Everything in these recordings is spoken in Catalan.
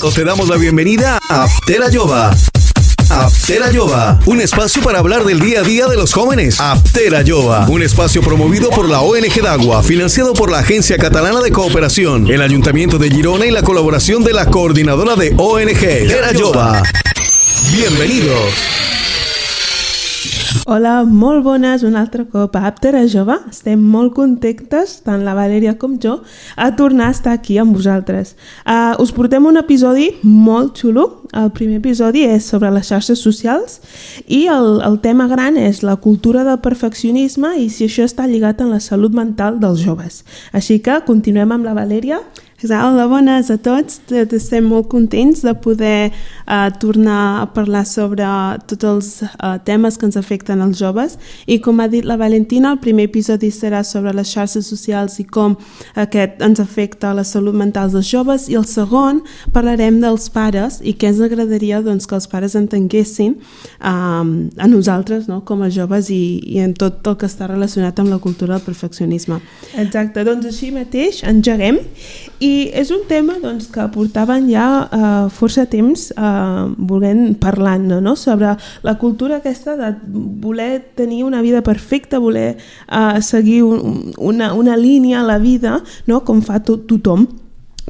Te damos la bienvenida a Aptera Jova. Aptera Jova, un espacio para hablar del día a día de los jóvenes. Aptera Jova, un espacio promovido por la ONG Dagua, financiado por la Agencia Catalana de Cooperación, el Ayuntamiento de Girona y la colaboración de la Coordinadora de ONG Aptera Jova. Bienvenidos. Hola, molt bones, un altre cop a Aptera Jova. Estem molt contentes, tant la Valèria com jo, a tornar a estar aquí amb vosaltres. Us portem un episodi molt xulo. El primer episodi és sobre les xarxes socials i el tema gran és la cultura del perfeccionisme i si això està lligat amb la salut mental dels joves. Així que continuem amb la Valèria. Hola, bones a tots. Estem molt contents de poder tornar a parlar sobre tots els temes que ens afecten als joves i com ha dit la Valentina, el primer episodi serà sobre les xarxes socials i com aquest ens afecta a la salut mental dels joves i el segon parlarem dels pares i què ens agradaria doncs, que els pares entenguessin a nosaltres, no? Com a joves i en tot el que està relacionat amb la cultura del perfeccionisme. Exacte, doncs així mateix engeguem. I és un tema doncs, que portaven ja força temps volent parlant, no? Sobre la cultura aquesta de voler tenir una vida perfecta, voler seguir una línia a la vida, no? Com fa tothom.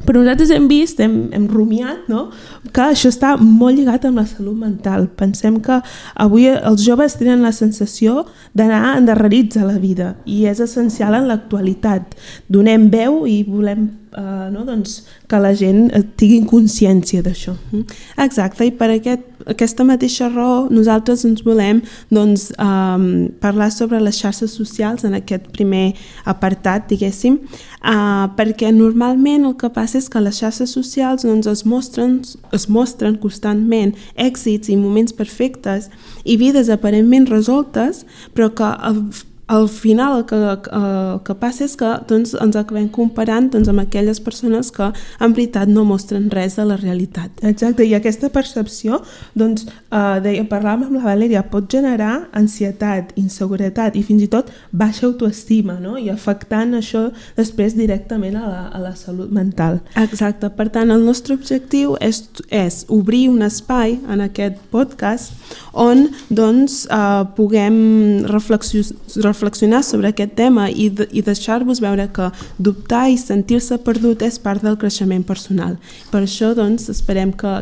Però nosaltres hem vist, hem rumiat, no? Que això està molt lligat amb la salut mental. Pensem que avui els joves tenen la sensació d'anar endarrerits a la vida i és essencial en l'actualitat. Donem veu i volem doncs, que la gent tingui consciència d'això. Exacte, i per aquesta mateixa raó nosaltres ens volem doncs, parlar sobre les xarxes socials en aquest primer apartat, diguéssim, perquè normalment el que passa és que les xarxes socials doncs, es mostren constantment èxits i moments perfectes i vides aparentment resoltes, però que al final el que passa és que doncs, ens acabem comparant doncs, amb aquelles persones que en veritat no mostren res de la realitat. Exacte, i aquesta percepció, doncs, parlàvem amb la Valèria, pot generar ansietat, inseguretat i fins i tot baixa autoestima, no? I afectant això després directament a la salut mental. Exacte, per tant el nostre objectiu és obrir un espai en aquest podcast on doncs, puguem reflexionar sobre aquest tema i deixar-vos veure que dubtar i sentir-se perdut és part del creixement personal. Per això doncs, esperem que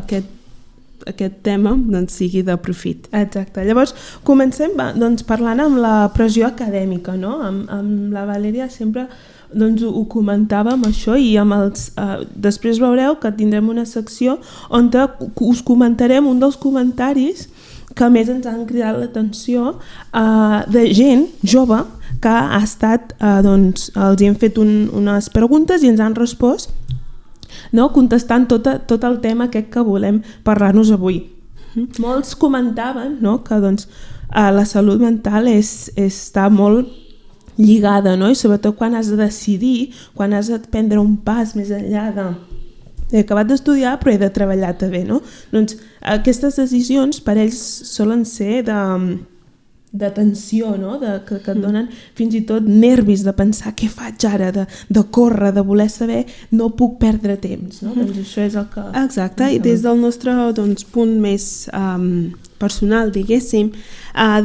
aquest tema doncs, sigui de profit. Exacte. Llavors, comencem doncs, parlant amb la pressió acadèmica, no? Amb la Valèria sempre doncs, ho comentàvem això i després veureu que tindrem una secció on us comentarem un dels comentaris que més ens han cridat l'atenció de gent jove que ha estat, doncs, els hem fet unes preguntes i ens han respost, no? Contestant tot el tema aquest que volem parlar-nos avui. Molts comentaven, no? Que doncs, la salut mental està molt lligada, no? I sobretot quan has de decidir, quan has de prendre un pas més enllà he acabat d'estudiar però he de treballar també, no? Doncs aquestes decisions per ells solen ser de tensió, no? Que et donen fins i tot nervis de pensar què faig ara, de córrer, de voler saber, no puc perdre temps, no? Doncs això és el que... Exacte, i des del nostre doncs, punt més personal, diguéssim,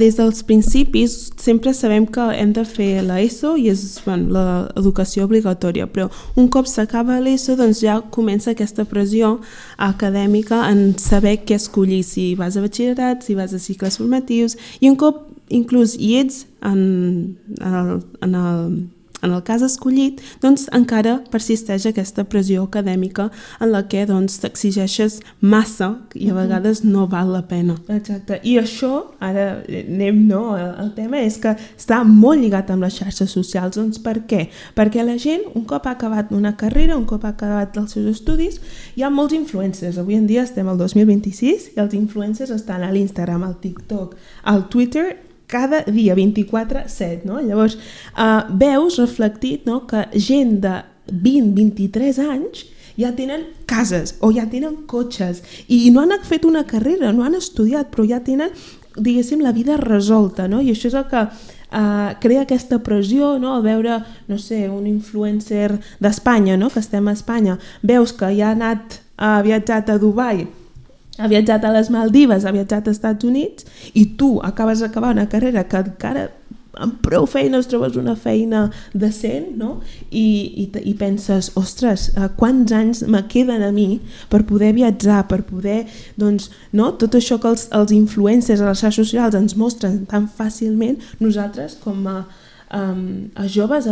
des dels principis sempre sabem que hem de fer l'ESO i és l'educació obligatòria, però un cop s'acaba l'ESO doncs ja comença aquesta pressió acadèmica en saber què escollir, si vas a batxillerat, si vas a cicles formatius, i un cop inclús hi ets en el cas escollit, doncs encara persisteix aquesta pressió acadèmica en la que doncs, t'exigeixes massa i a vegades no val la pena. Exacte, i això, ara anem, no? El tema és que està molt lligat amb les xarxes socials. Doncs per què? Perquè la gent, un cop ha acabat una carrera, un cop ha acabat els seus estudis, hi ha molts influencers. Avui en dia estem al 2026 i els influencers estan a l'Instagram, al TikTok, al Twitter, cada dia, 24/7, no? Llavors, veus reflectit, no, que gent de 20-23 anys ja tenen cases o ja tenen cotxes i no han fet una carrera, no han estudiat, però ja tenen, diguéssim, la vida resolta, no? I això és el que crea aquesta pressió, no? Al veure, no sé, un influencer d'Espanya, no? Que estem a Espanya, veus que ja ha anat ha viatjat a Dubai, ha viatjat a les Maldives, ha viatjat als Estats Units, i tu acabes d'acabar una carrera que encara amb prou feines trobes una feina decent, no? I penses, ostres, quants anys me queden a mi per poder viatjar, per poder, doncs, no? Tot això que els influencers a les xarxes socials ens mostren tan fàcilment, nosaltres com a joves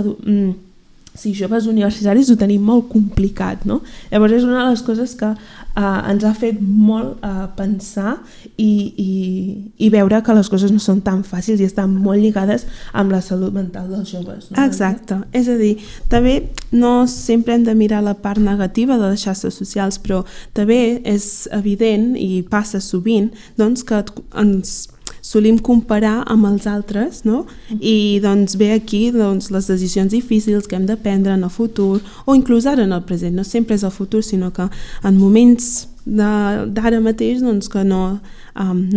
joves universitaris ho tenim molt complicat, no? Llavors és una de les coses que ens ha fet molt pensar i veure que les coses no són tan fàcils i estan molt lligades amb la salut mental dels joves. No? Exacte, és a dir, també no sempre hem de mirar la part negativa de les xarxes socials, però també és evident i passa sovint doncs, que ens solim comparar amb els altres, no? I doncs ve aquí doncs, les decisions difícils que hem de prendre en el futur o inclús ara en el present. No sempre és el futur, sinó que en moments d'ara mateix doncs, que no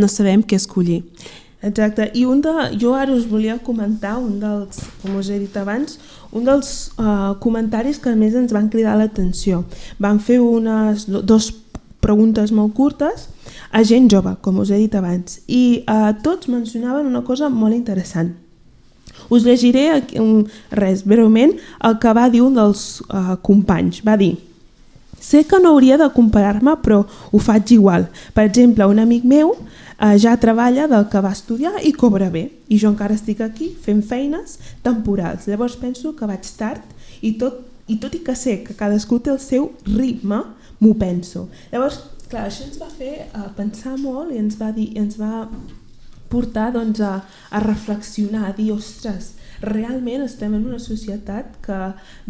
sabem què escollir. Exacte, i jo ara us volia comentar com us he dit abans, un dels comentaris que més ens van cridar l'atenció. Van fer dos preguntes molt curtes a gent jove, com us he dit abans, i tots mencionaven una cosa molt interessant. Us llegiré breument el que va dir un dels companys. Va dir: sé que no hauria de comparar-me, però ho faig igual. Per exemple, un amic meu ja treballa del que va estudiar i cobra bé, i jo encara estic aquí fent feines temporals. Llavors penso que vaig tard i tot i que sé que cadascú té el seu ritme, m'ho penso. Llavors, clar, això ens va fer pensar molt i ens va portar doncs, a reflexionar, a dir, ostres, realment estem en una societat que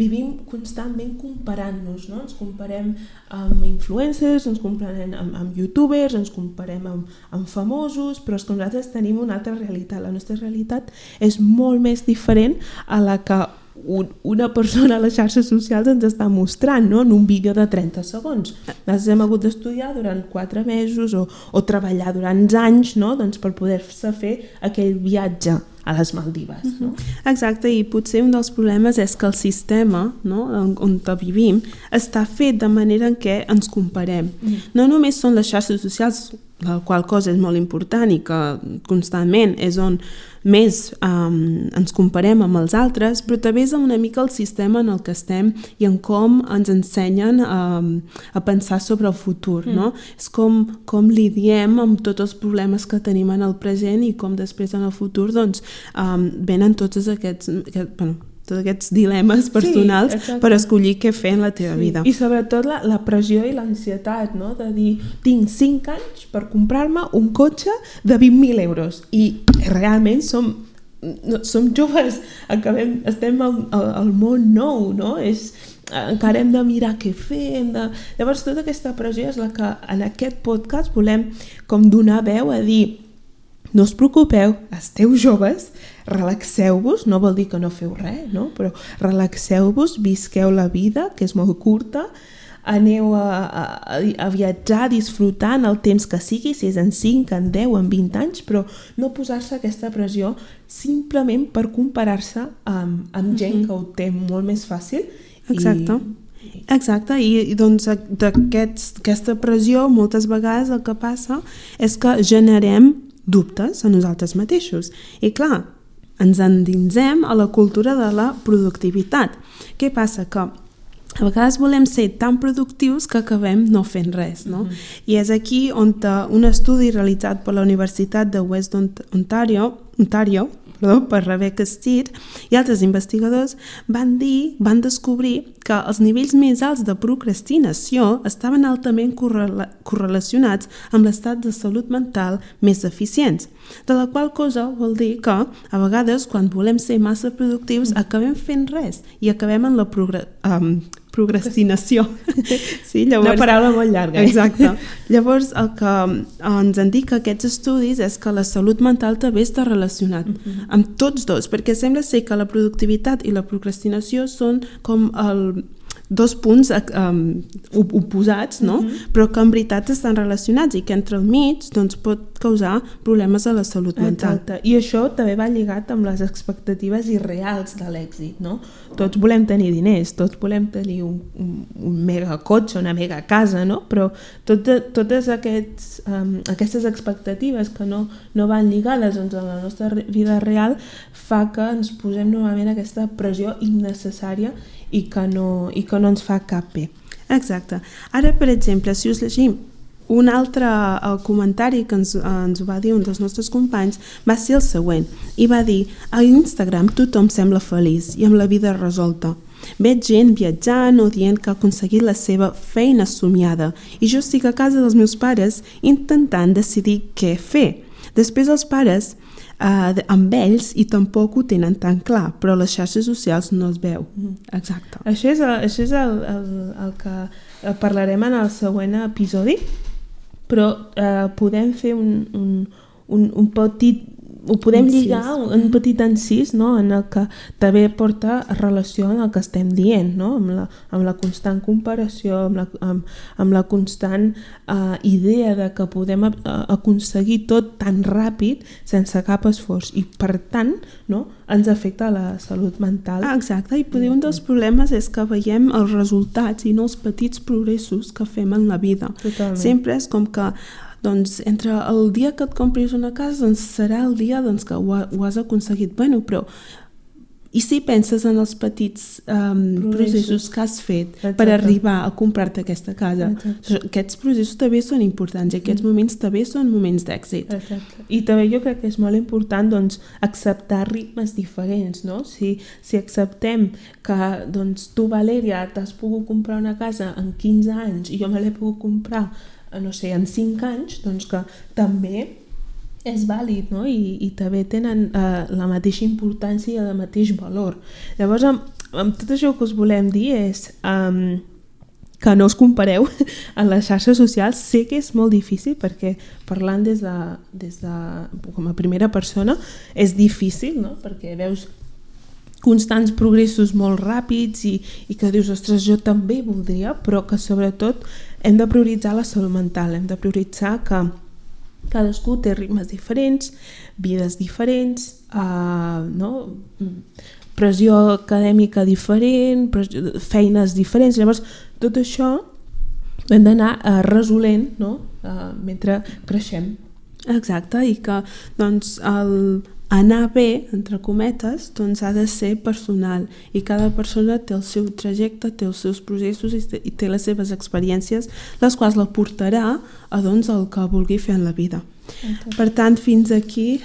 vivim constantment comparant-nos, no? Ens comparem amb influencers, ens comparem amb youtubers, ens comparem amb famosos, però és que nosaltres tenim una altra realitat. La nostra realitat és molt més diferent a la que una persona a les xarxes socials ens està mostrant, no? En un vídeo de 30 segons. Nosaltres hem hagut d'estudiar durant 4 mesos o treballar durant anys, no? Doncs per poder-se fer aquell viatge a les Maldives. No? Exacte, i potser un dels problemes és que el sistema, no? on vivim està fet de manera en què ens comparem. No només són les xarxes socials, la qual cosa és molt important i que constantment és on més ens comparem amb els altres, però també és una mica el sistema en el que estem i en com ens ensenyen a pensar sobre el futur. No? És com lidiem amb tots els problemes que tenim en el present i com després en el futur doncs, venen tots aquests dilemes personals per escollir què fer en la teva vida. I sobretot la pressió i l'ansietat, no? De dir, tinc 5 anys per comprar-me un cotxe de 20.000 euros i realment som joves, estem al món nou, no? Encara hem de mirar què fer, llavors tota aquesta pressió és la que en aquest podcast volem com donar veu a dir: no us preocupeu, esteu joves, relaxeu-vos, no vol dir que no feu res, no? Però relaxeu-vos, visqueu la vida, que és molt curta, aneu a viatjar, disfrutant el temps que sigui, si és en 5, en 10, en 20 anys, però no posar-se aquesta pressió simplement per comparar-se amb gent que ho té molt més fàcil. Exacte, i doncs d'aquesta pressió moltes vegades el que passa és que generem dubtes a nosaltres mateixos. I clar, ens endinsem a la cultura de la productivitat. Què passa? Que a vegades volem ser tan productius que acabem no fent res, no? I és aquí on un estudi realitzat per la Universitat de West Ontario, per Rebecca Steed i altres investigadors van descobrir que els nivells més alts de procrastinació estaven altament correlacionats amb l'estat de salut mental més eficients, de la qual cosa vol dir que a vegades quan volem ser massa productius acabem fent res i acabem en la procrastinació. Sí, llavors, una paraula molt llarga. Exacte. Llavors, el que ens indica aquests estudis és que la salut mental també està relacionat amb tots dos, perquè sembla ser que la productivitat i la procrastinació són com dos punts oposats, no? Però que en veritat estan relacionats i que entre el mig doncs, pot causar problemes a la salut mental. Exacte. I això també va lligat amb les expectatives irreals de l'èxit, no? Tots volem tenir diners, tots volem tenir un mega cotxe, una mega casa, no? Però totes aquestes expectatives que no van lligades doncs, a la nostra vida real fa que ens posem normalment aquesta pressió innecessària i que no ens fa cap bé. Exacte. Ara, per exemple, si us llegim un altre comentari que ens va dir un dels nostres companys va ser el següent, i va dir: a Instagram tothom sembla feliç i amb la vida resolta. Veig gent viatjant o dient que ha aconseguit la seva feina somiada i jo estic a casa dels meus pares intentant decidir què fer. Després els pares amb ells i tampoc ho tenen tan clar, però les xarxes socials no es veu. Exacte. Això és el que parlarem en el següent episodi, però podem fer un petit... Ho podem lligar un petit encís, no? En el que també porta relació amb el que estem dient, no? Amb la constant comparació, amb la constant idea de que podem aconseguir tot tan ràpid sense cap esforç i per tant, no? Ens afecta la salut mental. Exacte, i potser un dels problemes és que veiem els resultats i no els petits progressos que fem en la vida. Totalment. Sempre és com que doncs entre el dia que et compris una casa doncs serà el dia doncs, que ho has aconseguit. Bueno, però i si penses en els petits processos que has fet per arribar a comprar-te aquesta casa? Aquests processos també són importants i aquests moments també són moments d'èxit. Exacte. I també jo crec que és molt important doncs, acceptar ritmes diferents, no? Si acceptem que doncs, tu, Valèria, t'has pogut comprar una casa en 15 anys i jo me l'he pogut comprar no sé, en 5 anys, doncs que també és vàlid, no? I també tenen la mateixa importància i el mateix valor. Llavors, amb tot això que us volem dir és que no us compareu en les xarxes socials. Sé que és molt difícil perquè parlant des de com a primera persona és difícil, no? Perquè veus constants progressos molt ràpids i que dius, ostres, jo també voldria, però que sobretot hem de prioritzar la salut mental, hem de prioritzar que cadascú té ritmes diferents, vides diferents, no? Pressió acadèmica diferent, feines diferents, llavors tot això hem d'anar resolent, no? Mentre creixem. Exacte, i que doncs anar bé, entre cometes, doncs ha de ser personal i cada persona té el seu trajecte, té els seus processos i té les seves experiències, les quals la portarà a doncs, el que vulgui fer en la vida. Per tant, fins aquí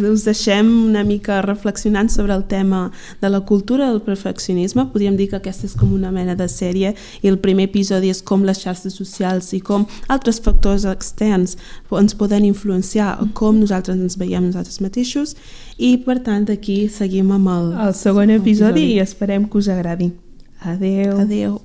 us deixem una mica reflexionant sobre el tema de la cultura del perfeccionisme. Podríem dir que aquesta és com una mena de sèrie i el primer episodi és com les xarxes socials i com altres factors externs ens poden influenciar a com nosaltres ens veiem nosaltres mateixos i per tant aquí seguim amb el segon episodi i esperem que us agradi. Adeu. Adeu.